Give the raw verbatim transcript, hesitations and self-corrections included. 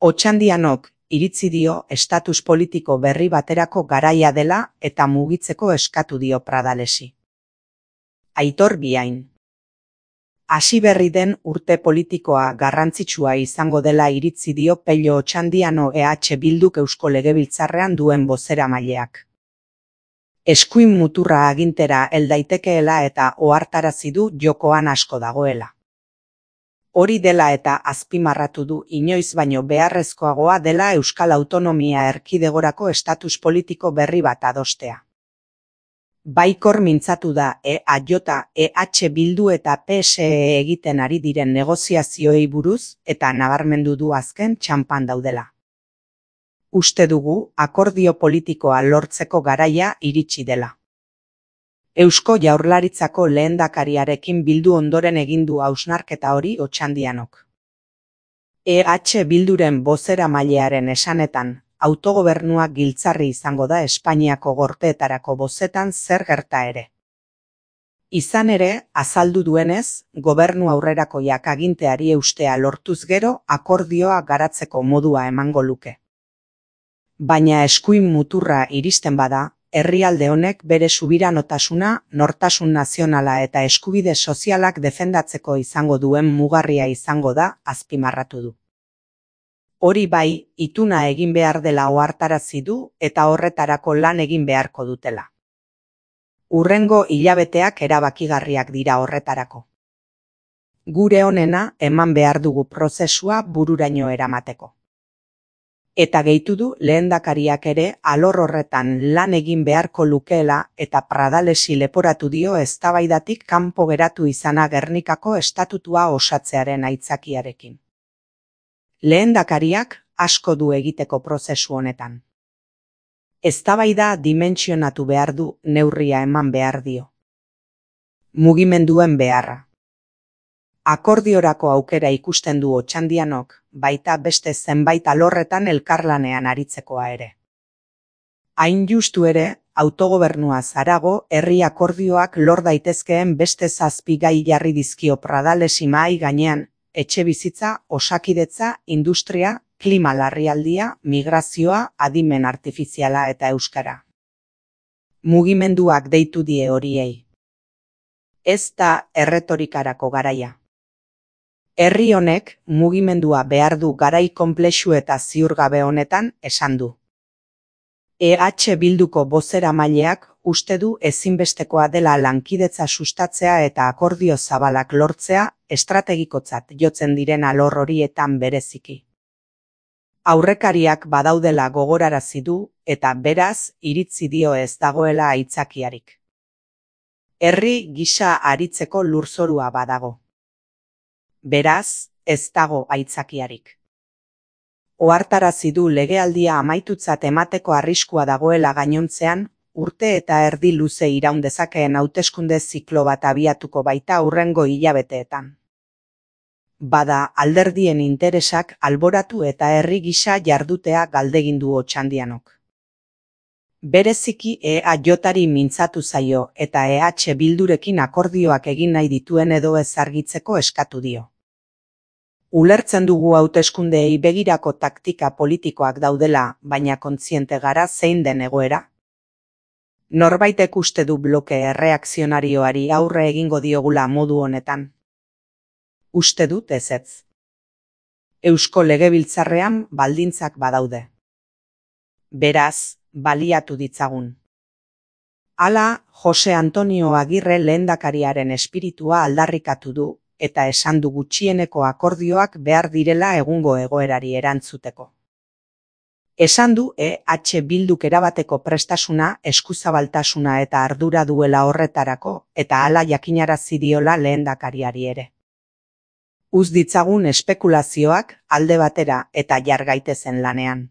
Otxandianok iritzi dio estatus politiko berri baterako garaia dela eta mugitzeko eskatu dio Pradalesi. Aitor Biain. Hasi berri den urte politikoa garrantzitsua izango dela iritzi dio Pello Otxandiano E H Bilduk Eusko Legebiltzarrean duen bozeramaileak. Eskuin muturra agintera hel daitekeela eta ohartarazi du jokoan asko dagoela. Hori dela eta azpimarratu du inoiz baino beharrezkoagoa dela Euskal Autonomia Erkidegorako estatus politiko berri bat adostea. Baikor mintzatu da E A J, E H Bildu eta P S E egiten ari diren negoziazioei buruz eta nabarmendu du azken txanpan daudela. Uste dugu akordio politikoa lortzeko garaia iritsi dela. Eusko Jaurlaritzako lehendakariarekin bildu ondoren egin du hausnarketa hori Otxandianok. E H Bilduren bozeramailearen esanetan, autogobernua giltzarri izango da Espainiako gorteetarako bozetan zer gerta ere. Izan ere, azaldu duenez, gobernu aurrerakoiak aginteari eustea lortuz gero akordioa garatzeko modua emango luke. Baina eskuin muturra iristen bada, herrialde honek bere subiranotasuna, nortasun nazionala eta eskubide sozialak defendatzeko izango duen mugarria izango da, azpimarratu du. Hori bai, ituna egin behar dela ohartarazi du eta horretarako lan egin beharko dutela. Hurrengo hilabeteak erabakigarriak dira horretarako. Gure onena eman behar dugu prozesua bururaino eramateko. Eta gehitu du lehendakariak ere alor horretan lan egin beharko lukeela eta Pradalesi leporatu dio eztabaidatik kanpo geratu izana Gernikako estatutua osatzearen aitzakiarekin. Lehendakariak asko du egiteko prozesu honetan. Eztabaida dimentsionatu behar du, neurria eman behar dio. Mugimenduen beharra. Akordiorako aukera ikusten du Otxandianok, baita beste zenbait alorretan elkarlanean aritzekoa ere. Hain justu ere, autogobernuaz harago herri akordioak lor daitezkeen beste zazpi gai jarri dizkio Pradalesi mahai gainean, etxebizitza, osakidetza, industria, klima larrialdia, migrazioa, adimen artifiziala eta euskara. Mugimenduak deitu die horiei. Ez da erretorikarako garaia. Herri honek mugimendua behar du garai konplexu eta ziurgabe honetan esan du. E H Bilduko bozeramaileak uste du ezinbestekoa dela lankidetza sustatzea eta akordio zabalak lortzea estrategikotzat jotzen diren alor horietan bereziki. Aurrekariak badaudela gogorarazi du eta beraz iritzi dio ez dagoela aitzakiarik. Herri gisa aritzeko lurzorua badago. Beraz, ez dago aitzakiarik. Ohartarazi du legealdia amaitutzat emateko arriskua dagoela gainontzean, urte eta erdi luze iraun dezakeen hauteskunde ziklo bat abiatuko baita hurrengo hilabeteetan. Bada alderdien interesak alboratu eta herri gisa jardutea galdegin du Otxandianok. Bereziki E A Jari mintzatu zaio eta E H Bildurekin akordioak egin nahi dituen edo ez argitzeko eskatu dio. Ulertzen dugu hauteskundeei begirako taktika politikoak daudela, baina kontziente gara zein den egoera. Norbaitek uste du bloke erreakzionarioari aurre egingo diogula modu honetan. Uste dut ezetz. Eusko Legebiltzarrean baldintzak badaude. Beraz, baliatu ditzagun. Hala, Jose Antonio Agirre lehendakariaren espiritua aldarrikatu du, eta esan du gutxieneko akordioak behar direla egungo egoerari erantzuteko. Esan du E H Bilduk erabateko prestasuna, eskuzabaltasuna eta ardura duela horretarako, eta hala jakinarazi diola lehendakariari ere. Uz ditzagun espekulazioak alde batera eta jar gaitezen lanean.